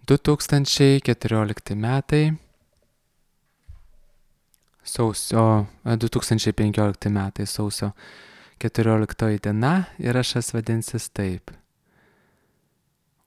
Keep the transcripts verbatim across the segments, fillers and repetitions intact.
du tūkstančiai keturiolikti metai, sausio, e, du tūkstančiai penkiolikti metai, sausio keturioliktoji diena ir aš jas vadinsis taip.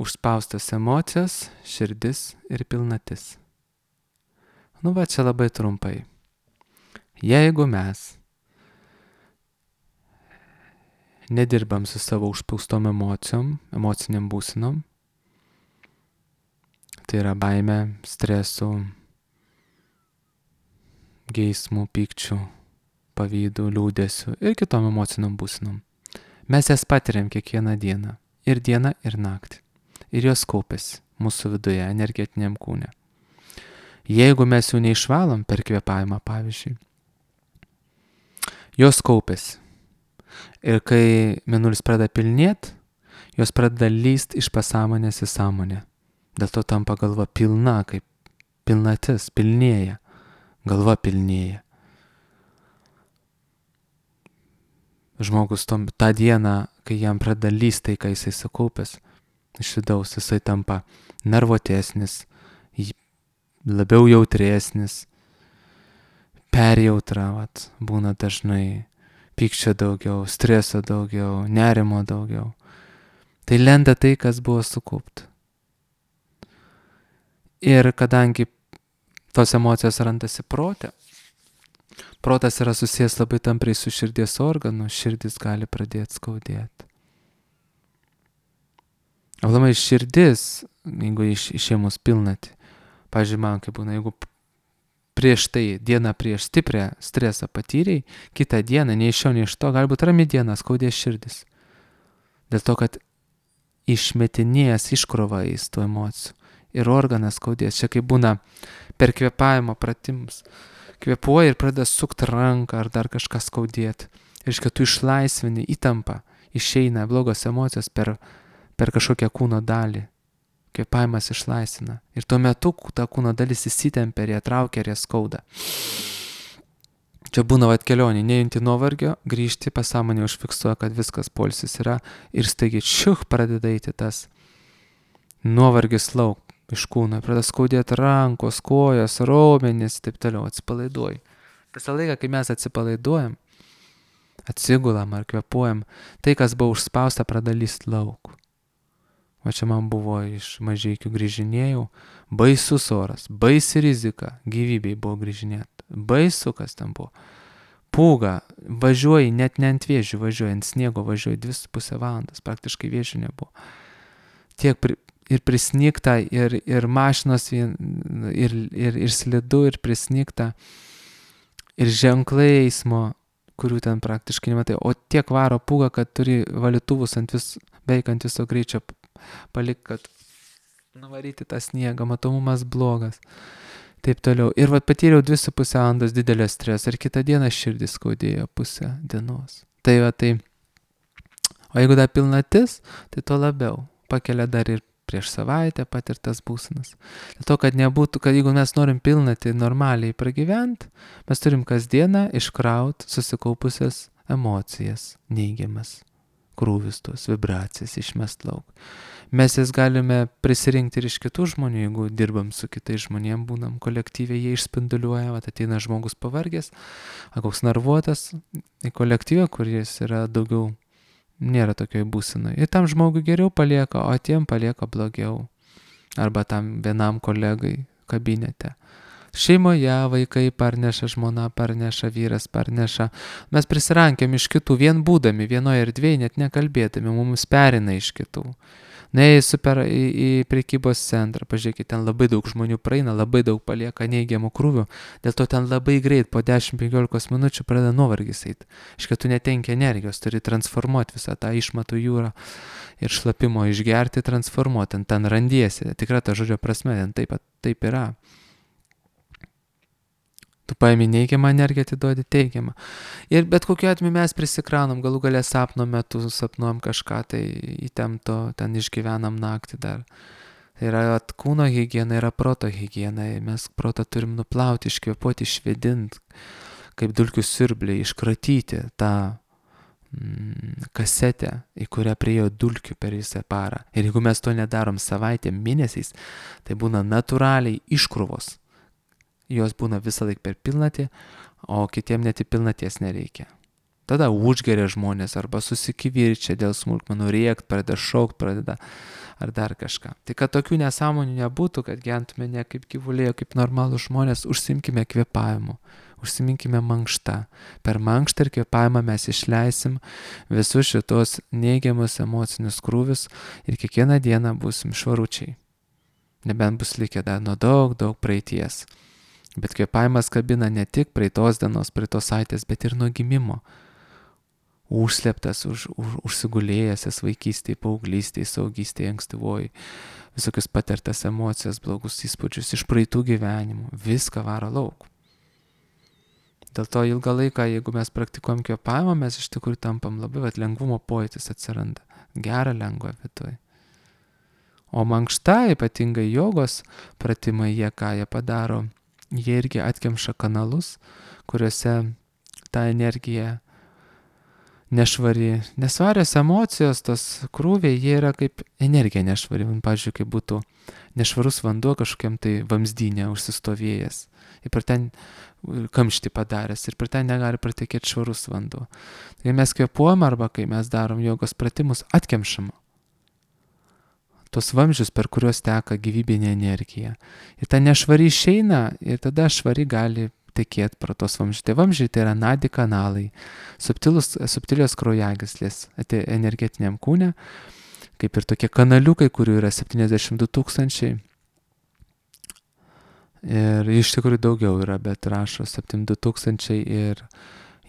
Užspaustos emocijos, širdis ir pilnatis. Nu va, čia labai trumpai. Jeigu mes nedirbam su savo užspaustom emocijom, emociniam būsenom, tai yra baime, stresu, geismų, pykčių, pavydų, liūdėsių ir kitom emociniam būsenom. Mes jas patiriam kiekvieną dieną. Ir dieną, ir naktį. Ir jos kaupiasi mūsų viduje, energetiniam kūne. Jeigu mes jų neišvalom per kvėpavimą, pavyzdžiui, jos kaupiasi. Ir kai mėnulis pradeda pilnėt, jos pradeda lyst iš pasąmonės į sąmonę. Dėl to tampa galva pilna, kaip pilnatis, pilnėja. Galva pilnėja. Žmogus tom, tą dieną, kai jam pradeda lyst tai, ką jisai sukaupęs, iš vidaus jisai tampa nervuotesnis, labiau jautresnis, perjautra, vat, būna dažnai, pykčio daugiau, streso daugiau, nerimo daugiau. Tai lenda tai, kas buvo sukaupta. Ir kadangi tos emocijos randasi prote, protas yra susijęs labai tampriai su širdies organu, širdis gali pradėti skaudėti. Aplamai širdis, jeigu iš, išėmus pilnatį, pavyzdžiui, man kaip būna, jeigu prieš tai, dieną prieš stiprią stresą patyrei, kitą dieną, nei iš šio, nei iš to, galbūt rami diena skaudės širdis. Dėl to, kad išmetinės iškrova į tų emocijų ir organas skaudės. Čia kaip būna per kvėpavimo pratimus. Kvėpuoji ir pradeda sukti ranką ar dar kažką skaudėti. Ir kad tu išlaisvini įtampą, išeina blogos emocijos per, per kažkokią kūno dalį. Kvėpavimas išlaisvina. Ir tuo metu ta kūno dalis įsitempia ir ją traukia ir ją skauda. Čia būna vat kelionė, nejunti nuovargio, grįžti, pasąmonė užfiksuoja, kad viskas poilsis yra ir staigiai čiuch pradeda eiti tas nuovargis lauk iš kūno, pradeda skaudėti rankos, kojos, raumenys, taip toliau, atsipalaiduoji. Visą laiką, kai mes atsipalaiduojam, atsigulam ar kvėpuojam, tai, kas buvo užspausta, pradeda lyst lauk. O čia man buvo iš Mažeikių grįžinėjau, baisus oras, baisi rizika, gyvybei buvo grįžinėti, baisu, kas ten buvo. Pūga, važiuoji, net ne ant vėžių važiuoji, ant sniego važiuoji dvi su pusę valandas, praktiškai vėžių nebuvo. Tiek pri, ir prisnigta, ir, ir mašinos, ir, ir, ir, ir slidu, ir prisnigta, ir ženklai eismo, kurių ten praktiškai nematai, o tiek varo pūga, kad turi valytuvus ant vis, beveik ant viso greičio palik, kad nuvaryti tą sniegą, matomumas blogas, taip toliau. Ir vat patyriau dvi su pusę valandos didelio streso ir kitą dieną širdis skaudėjo pusę dienos. Tai va tai, o jeigu dar pilnatis, tai to labiau pakelia dar ir prieš savaitę patirtas būsenas. Dėl to, kad nebūtų, kad jeigu mes norim pilnatį normaliai pragyventi, mes turim kasdieną iškraut susikaupusias emocijas, neigiamas, krūvis tos vibracijas išmest lauk. Mes jas galime prisirinkti ir iš kitų žmonių, jeigu dirbam su kitais žmonėm, būnam kolektyviai, jie išspinduliuoja, vat ateina žmogus pavargęs, koks nervuotas į kolektyvą, kuris yra daugiau, nėra tokioj būsenoj. Ir tam žmogui geriau palieka, o tiem palieka blogiau. Arba tam vienam kolegai kabinete. Šeimoje vaikai parneša, žmona parneša, vyras parneša. Mes prisirankėm iš kitų, vien būdami vienoje erdvėje, net nekalbėdami, mums perina iš kitų. Nuėjai super į, į prekybos centrą, pažiūrėkit, ten labai daug žmonių praeina, labai daug palieka neigiamų krūvių, dėl to ten labai greit, po dešimt penkiolika minučių pradeda nuovargis eiti. Iš tu netenki energijos, turi transformuoti visą tą išmatų jūrą ir šlapimo išgerti, transformuoti, ten, ten randiesi, tikra ta žodžio prasme, ten taip, taip yra. Tu paimi neigiamą energiją, atiduodi teigiamą. Ir bet kokiu atveju mes prisikraunam, galų galę sapno metu sapnuojam kažką, tai įtempto, ten išgyvenam naktį dar. Tai yra kūno higiena, yra proto higiena. Mes protą turim nuplauti, iškvėpuoti, išvedinti, kaip dulkių siurbliai, iškratyti tą mm, kasetę, į kurią priejo dulkių per visą parą. Ir jeigu mes to nedarom savaitėm, mėnesiais, tai būna natūraliai iškrūvos. Jos būna visą laiką per pilnatį, o kitiem net į pilnaties nereikia. Tada užgeria žmonės arba susikivirčia dėl smulkmenų, rėkt, pradeda šaukt, pradeda ar dar kažką. Tai kad tokių nesąmonių nebūtų, kad gyventume ne kaip gyvuliai, o kaip normalų žmonės, užsimkime kvėpavimu, užsiminkime mankštą. Per mankštą ir kvėpavimą mes išleisim visus šitos neigiamus emocinius krūvius ir kiekvieną dieną būsim švaručiai. Nebent bus likę dar nuo daug, daug praeities. Bet kvėpavimas kabina ne tik praeitos dienos, praeitos savaitės, bet ir nuo gimimo. Užslėptas, už, už, užsigulėjęs vaikystėje, paauglystėje, saugystėje, ankstyvoji, visokius patirtas emocijas, blogus įspūdžius iš praeitų gyvenimų, viską varo lauk. Dėl to ilgą laiką, jeigu mes praktikuojam kvėpavimą, mes iš tikrųjų tampam labai, vat, lengvumo pojūtis atsiranda, gera lengva viduje. O mankšta, ypatingai jogos pratimai, jie ką jie padaro, jie irgi atkemša kanalus, kuriuose ta energija nešvari, nesvarios emocijos, tos krūviai, jie yra kaip energija nešvari. Pavyzdžiui, kaip būtų nešvarus vanduo kažkokiam tai vamzdynė užsistovėjęs. Ir per ten kamštį padaręs. Ir per ten negali pratekėti švarus vanduo. Kai mes kvėpuojam arba kai mes darom jogos pratimus, atkemšam tos vamzdžius, per kuriuos teka gyvybinė energija. Ir ta nešvari išeina ir tada švari gali tekėti pro tos vamzdžiai. Tai vamzdžiai tai yra nadi kanalai, subtilus, subtilios kraujagyslės energetiniam kūne, kaip ir tokie kanaliukai, kurių yra septyniasdešimt du tūkstančiai. Ir iš tikrųjų daugiau yra, bet rašo septyniasdešimt du tūkstančiai ir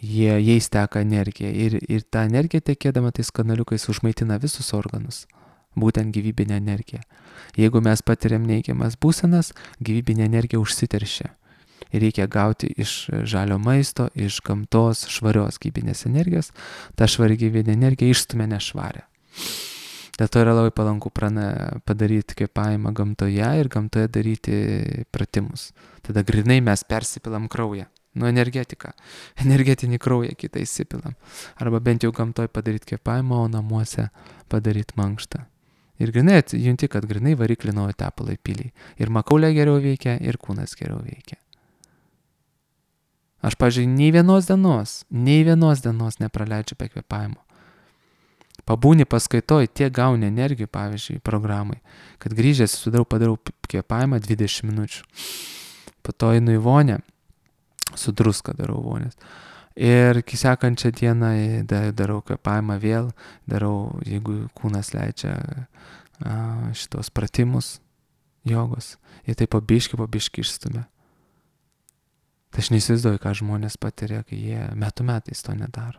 jie, jais teka energija. Ir, ir ta energija tekėdama tais kanaliukais užmaitina visus organus. Būtent gyvybinė energija. Jeigu mes patiriam neigiamas būsenas, gyvybinė energija užsiteršia. Ir reikia gauti iš žalio maisto, iš gamtos švarios gyvybinės energijos. Ta švari gyvybinė energija išstumia nešvarę. Dėl to yra labai palanku prana, padaryti kvėpavimą gamtoje ir gamtoje daryti pratimus. Tada grinai mes persipilam kraują. Nu, energetika. Energetinį kraują kitą įsipilam. Arba bent jau gamtoje padaryti kvėpavimą, o namuose padaryti mankštą. Ir grinai junti, kad grinai variklį naujo tepalai piliai. Ir makaulė geriau veikia, ir kūnas geriau veikia. Aš, pavyzdžiui, nei vienos dienos, nei vienos dienos nepraleidžiu be kvėpavimo. Pabūni paskaitoj, tiek gauni energijų, pavyzdžiui, programai, kad grįžęs sudarau, padarau kvėpavimą dvidešimt minučių. Po to einu į vonę, su druska darau vonės. Ir sekančią dieną darau kvėpavimą vėl, darau, jeigu kūnas leidžia šitos pratimus jogos. Ir tai po biškį, po biškį išstumia. Tai aš neįsivaizduoju, ką žmonės patiria, kai jie metų metais to nedaro.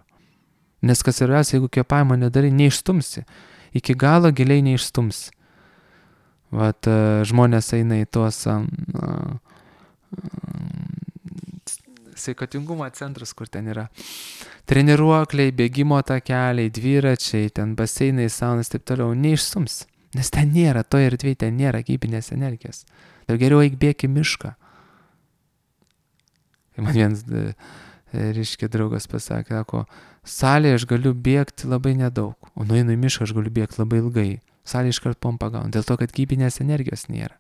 Nes kas yra, jeigu kvėpavimą nedarai, neišstumsi. Iki galo giliai neišstumsi. Vat žmonės eina į tuos um, sveikatingumo centrus, kur ten yra treniruokliai, bėgimo takeliai, dviračiai, ten baseinai, saunas, taip toliau, neišstums, nes ten nėra, to ir dviejai ten nėra gyvybinės energijos. Tai geriau eik bėk į mišką. Man vienas, reiškia, draugas pasakė, sako, salėje aš galiu bėgti labai nedaug, o nueinu į mišką aš galiu bėgti labai ilgai. Salėje iškart pompą gaunu, dėl to, kad gyvybinės energijos nėra.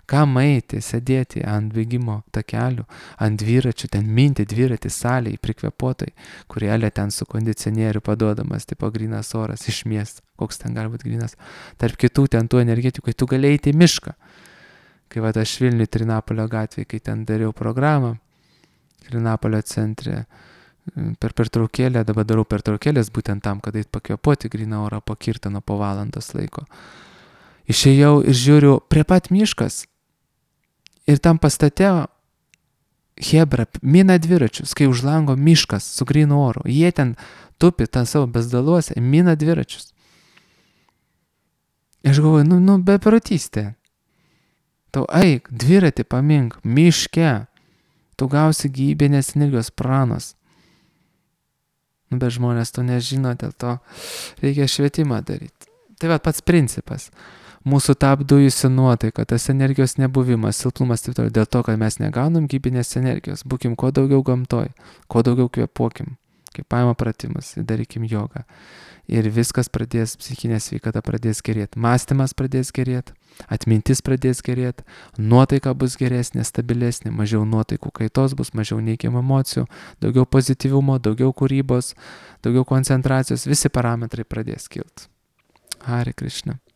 Kam eiti, sėdėti ant bėgimo takelių, ant dviračių, ten minti dviratį salėje, prikvėpuotai, kurielė ten su kondicionieriu paduodamas, tipo grynas oras iš miesto, koks ten gali būti grynas, tarp kitų ten tų energetikų, kai tu gali eiti į mišką. Kai va aš Vilniui Trinapolio gatvėje, kai ten dariau programą, Trinapolio centre, per pertraukėlę, dabar darau pertraukėlės būtent tam, kad eit pakvėpuoti gryną orą po kirtano po valandos laiko. Išėjau ir žiūriu, prie pat miškas. Ir tam pastate hebra mina dviračius, kai už lango miškas su grynu oru. Jie ten tupi tą savo bezdaluose, mina dviračius. Aš galvoju, nu, nu beprotystė. Tau eik, dviratį pamink, miške. Tu gausi gyvybinės energijos pranos. Nu, bet žmonės to nežino, dėl to reikia švietimą daryti. Tai va pats principas. Mūsų ta apdujusi nuotaika, tas energijos nebuvimas, silpnumas, taip toliau, dėl to, kad mes negaunam gyvybinės energijos. Būkim kuo daugiau gamtoj, kuo daugiau kvėpuokim, kvėpavimo pratimus, darykim jogą. Ir viskas pradės, psichinė sveikata pradės gerėti, mąstymas pradės gerėti, atmintis pradės gerėti, nuotaika bus geresnė, stabilesnė, mažiau nuotaikų kaitos bus, mažiau neigiamų emocijų, daugiau pozityvumo, daugiau kūrybos, daugiau koncentracijos, visi parametrai pradės kilti. Hare Krishna.